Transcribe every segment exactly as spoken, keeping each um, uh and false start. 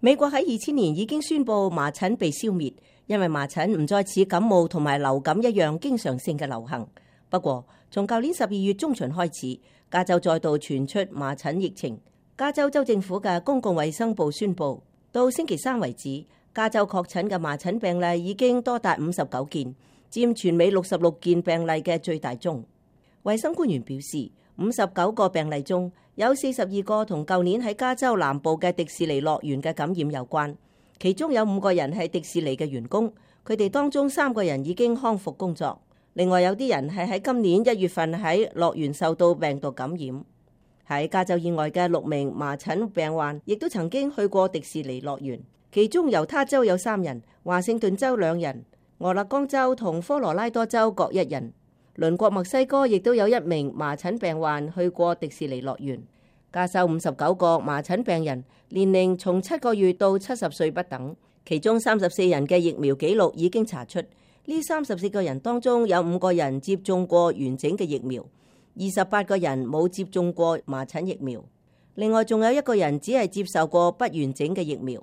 美國喺二千年已經宣布麻疹被消滅，因為麻疹唔再似感冒同埋流感一樣經常性嘅流行。不過，從舊年十二月中旬開始，加州再度傳出麻疹疫情。加州州政府嘅公共衛生部宣布，到星期三為止，加州確診嘅麻疹病例已經多達五十九件，佔全美六十六件病例嘅最大宗。衛生官員表示，五十九個病例中有四十二個同舊年喺加州南部嘅迪士尼樂園嘅感染有關，其中有五個人係迪士尼嘅員工，佢哋當中三個人已經康復工作。另外有啲人係喺今年一月份喺樂園受到病毒感染。喺加州以外嘅六名麻疹病患亦都曾經去過迪士尼樂園，其中猶他州有三人，華盛頓州兩人，俄勒岡州同科羅拉多州各一人。鄰國墨西哥亦都有一名麻疹病患去過迪士尼樂園。加州五十九個麻疹病人，年齡從七個月到七十歲不等，其中三十四人嘅疫苗記錄已經查出。呢三十四個人當中有五個人接種過完整嘅疫苗，二十八個人冇接種過麻疹疫苗。另外仲有一個人只係接受過不完整嘅疫苗。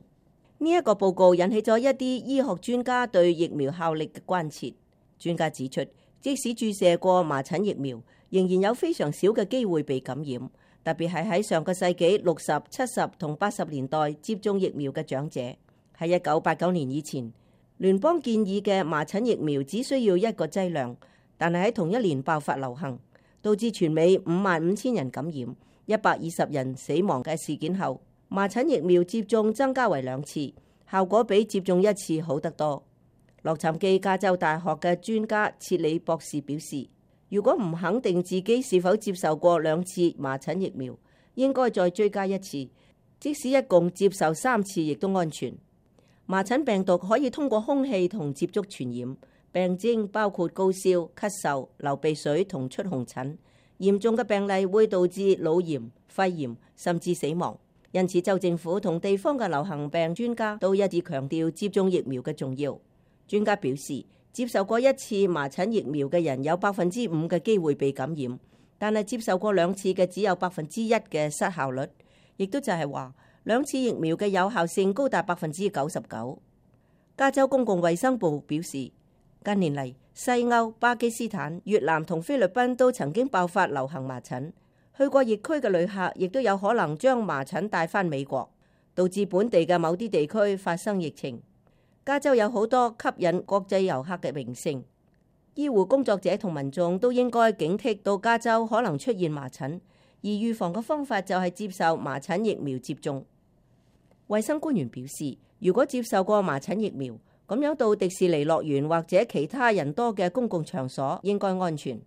呢一個報告引起咗一啲醫學專家對疫苗效力嘅關切。專家指出，即使注射過麻疹疫苗，仍然有非常少嘅機會被感染，特別係喺上個世紀六十、七十同八十年代接種疫苗嘅長者。喺一九八九年以前，聯邦建議嘅麻疹疫苗只需要一個劑量，但係喺同一年爆發流行，導致全美五萬五千人感染、一百二十人死亡嘅事件後，麻疹疫苗接種增加為兩次，效果比接種一次好得多。洛杉磯加州大學嘅專家切里博士表示，如果唔肯定自己是否接受過兩次麻疹疫苗，應該再追加一次，即使一共接受三次亦都安全。麻疹病毒可以通過空氣同接觸傳染，病徵包括高燒、咳嗽、流鼻水同出紅疹，嚴重嘅病例會導致腦炎、肺炎甚至死亡。因此，州政府同地方嘅流行病專家都一致強調接種疫苗嘅重要。專家表示，接受過一次麻疹疫苗嘅人有百分之五嘅機會被感染，但係接受過兩次嘅只有百分之一嘅失效率，亦都就係話兩次疫苗嘅有效性高達百分之九十九。加州公共衛生部表示，近年嚟西歐、巴基斯坦、越南同菲律賓都曾經爆發流行麻疹，去過疫區嘅旅客亦都有可能將麻疹帶返美國，導致本地嘅某啲地區發生疫情。加州有好多吸引國際遊客嘅名勝，醫護工作者同民眾都應該警惕到加州可能出現麻疹，而預防嘅方法就係接受麻疹疫苗接種。衛生官員表示，如果接受過麻疹疫苗，咁樣到迪士尼樂園或者其他人多嘅公共場所應該安全。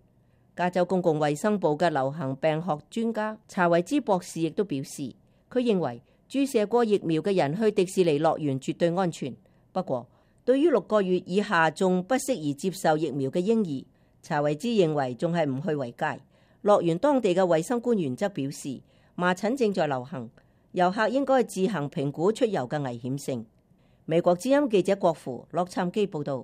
加州公共衛生部嘅流行病學專家查維茲博士亦都表示，佢認為注射過疫苗嘅人去迪士尼樂園絕對安全。不過，對於六個月以下仲不適宜接受疫苗嘅嬰兒，查維茲認為仲係唔去為佳。樂園當地嘅衛生官員則表示，麻疹正在流行，遊客應該自行評估出遊嘅危險性。美國之音記者郭芙洛杉磯報道。